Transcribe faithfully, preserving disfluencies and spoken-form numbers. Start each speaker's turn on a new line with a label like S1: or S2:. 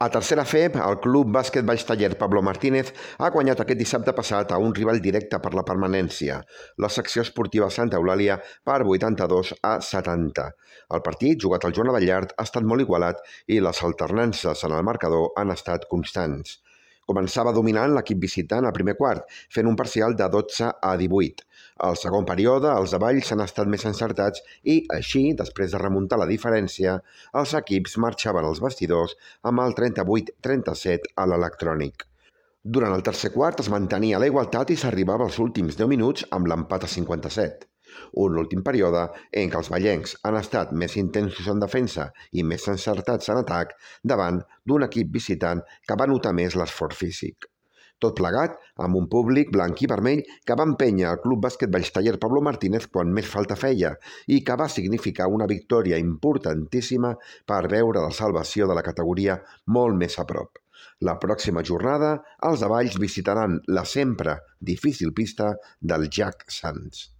S1: A tercera F E B, el Club Bàsquet Valls Taller Pablo Martínez ha guanyat aquest dissabte passat a un rival directe per la permanència, la secció esportiva Santa Eulàlia, per vuitanta-dos a setanta. El partit, jugat al Joan Abellart, ha estat molt igualat i les alternances en el marcador han estat constants. Començava dominant l'equip visitant al primer quart, fent un parcial de dotze a divuit. Al segon període, els de Valls han estat més encertats i, així, després de remuntar la diferència, els equips marxaven als vestidors amb el trenta-vuit trenta-set a l'electrònic. Durant el tercer quart es mantenia la igualtat i s'arribava als últims deu minuts amb l'empat a cinquanta-set. Un últim període en què els vallencs han estat més intensos en defensa i més encertats en atac davant d'un equip visitant que va notar més l'esforç físic. Tot plegat amb un públic blanc i vermell que va empènyer el Club Bàsquet Valls Taller Pablo Martínez quan més falta feia i que va significar una victòria importantíssima per veure la salvació de la categoria molt més a prop. La pròxima jornada, els de Valls visitaran la sempre difícil pista del Jack Sands.